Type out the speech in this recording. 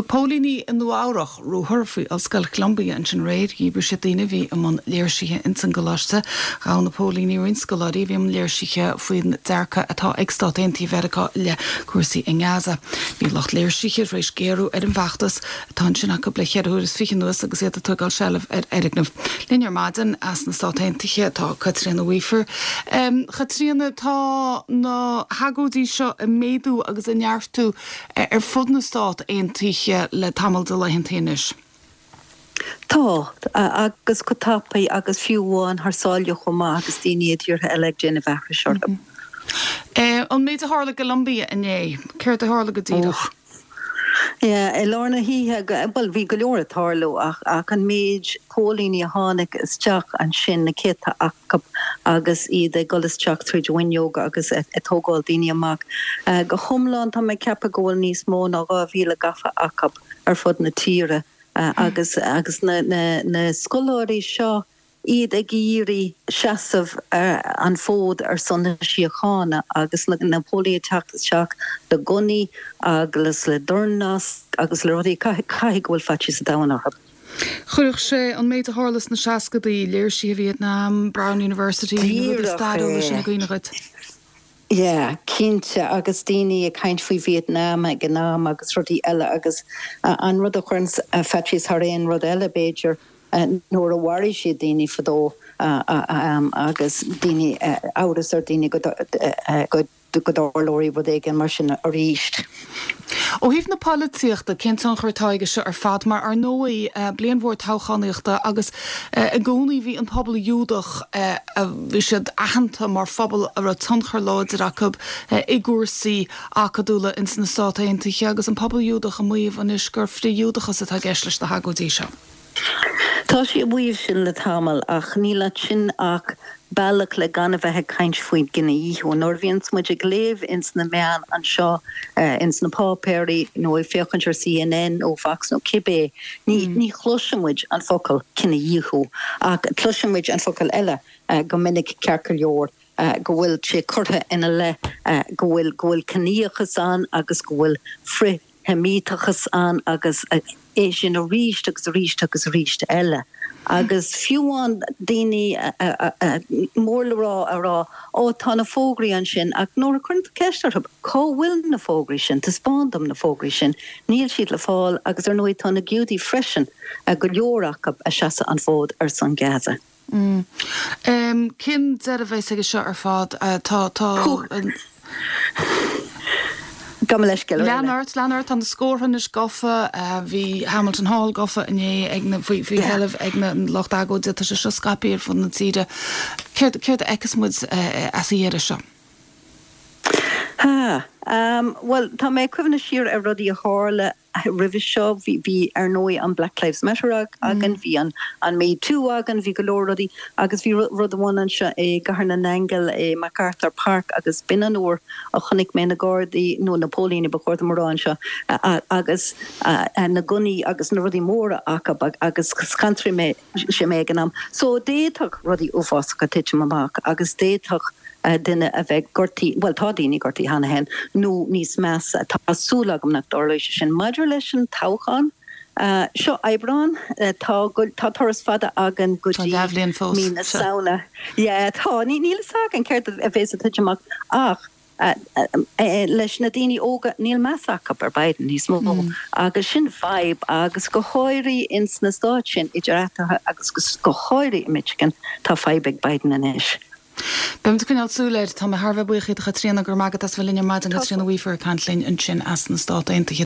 Thug póilíní i Nua Eabhrach ruathar faoi Ollscoil Cholumbia ansin aréir. Dhíbir siad daoine a bhí i mbun léirsithe ins an gcoláiste. Ghabh na póilíní roinnt scoláirí a bhí i mbun léirsithe faoin dearcadh atá ag Stát Aontaithe Mheiriceá i leith cúrsaí i nGaza. Bhí lucht léirsithe tar éis géarú ar an bhfeachtas atá ansin acu le cheithre huaire is fiche anuas agus iad ag tógáil seilbh ar fhoirgneamh. Linn ar maidin as na Stát Aontaithe tá Caitríona Weafer. A Chaitríona, tá na hagóidí seo ag méadú agus ag neartú ar fud na Stát Aontaithe le tamall de laethanta anois. Tá, agus go tapaidh agus fiú amháin thar sáile chomh maith agus daoine i dtíortha eile ag déanamh aithris orthu. An méid a tharla i gColumbia inné, céard a tharla go díreach? Yeah, i lár na hoíche, bhuel, bhí go leor ag tarlú ach ach an méid póilíní a tháinig isteach ansin, na céadta acu agus iad ag dul isteach tríd an bhfuinneog agus ag tógáil daoine amach. Go hiomlán, tá mé ag ceapadh go bhfuil níos mó ná 2,000 gafa acu ar fud na tíre agus agus na na na scoláirí seo, iad ag iarraidh seasamh an fód ar son na síochána agus na póilíní ag teacht isteach le gunnaí agus le dornlasc agus le rudaí, caithfidh go bhfuil faitíos an domhain orthu. Chuirfeadh sé an méid a tharla sna seascadaí, léirsithe Vietnam, Brown University, na rudaí stairiúla sin i gcuimhne dhuit. Yeah, cinnte, agus daoine ag caint faoi Vietnam ag an am agus rudaí eile agus an rud a chuireanns faitíos thar aon rud eile b'fhéidir nuair a mharaigh siad daoine fadó agus daoine, amhras ar daoine go go dtarlóidh rud éigin mar sin arís. Ó thaobh na polaitíochta, cén tionchar atá aige seo ar fad? Mar ar ndóigh, bliain mhór toghchánaíochta agus i gcónaí bhí an pobal Iúdach, bhí siad aitheanta mar phobal a raibh tionchar láidir acu i gcúrsaí acadúla ins na Stát Aontaithe agus an pobal Iúdach ag maíomh anois gur frith-Ghiúdachas atá i gceist leis na hagóidí seo. Tá siad ag maíomh sin le tamall ach níl ansin ach bealach le gan a bheith ag caint faoin gcinedhíothú. Nuair a bhíonns muid ag léamh ins na meáin anseo, ins na páipéirí nó ag féachaint ar CNN nó Fox nó cibé, ní ní chloiseann muid an focal cinedhíothú ach cloiseann muid an focal eile go minic ceart go leor, go bhfuil sé curtha ina leith go bhfuil go bhfuil ciníochas ann agus go bhfuil frith Sheimíteachas ann agus é sin arís agus arís agus arís eile. Agus fiú amháin daoine mór le rá a rá, Ó, tá na fógraí ansin, ach nuair a chuireann tú ceist orthu, cá bhfuil na fógraí sin, taispeáin dom na fógraí sin, níl siad le fáil agus ar ndóigh tá na Giúdaigh freisin, go leor acu, ag seasamh an fód ar son Gaza. Cén deireadh a bheas aige seo ar fad? Tá, tá. Gabh mo leithscéal, Lean ort, lean ort, tá na scórtha anois gafa, bhí Hamilton Hall gafa inné ag na, faoi, faoi sheilbh ag na lucht agóide, tá sé seo scaipthe ar fud na tíre. Céard, céard a fheicfeas muid as a dheireadh seo? Ha, bhuel, tá mé ag cuimhneamh siar ar rudaí a tharla roimhe seo. Bhí, ar ndóigh, an Black Lives Matter againn, bhí an an Me Too againn, bhí go leor rudaí agus bhí rud amháin anseo i gCathair na nAingeal i MacArthur Park agus b'in an uair a chonaic mé na Gardaí, nó na póilíní ba chóir dom a rá anseo, agus na gunnaí agus na rudaí móra acu agus scanraigh mé sé mé ag an am. So d'fhéadfadh rudaí uafásacha titim amach agus d'fhéadfadh duine a bheith gortaithe, bhuel tá daoine gortaithe cheana féin, nó níos measa. Tá súil agam nach dtarlóidh sé sin. Maidir leis an toghchán, seo Aibreán, tá tá turas fada againn go dtí mí na Samhna. Yeah, tá. Níl fhios againn céard a bheas ag titim amach ach leis na daoine óga, níl meas acu ar Biden níos mó agus sin fadhb agus go háirithe ins na stáit sin idir eatarthu agus go háirithe i Michigan, tá fadhb ag Biden anois. Beimid ag coinneáil súil air. Tá mé thar a bheith buíoch díot a Chaitríona, go raibh maith agat as bheith linn ar maidin, Caitríona Weafer ag caint linn ansin as na Stát Aontaithe.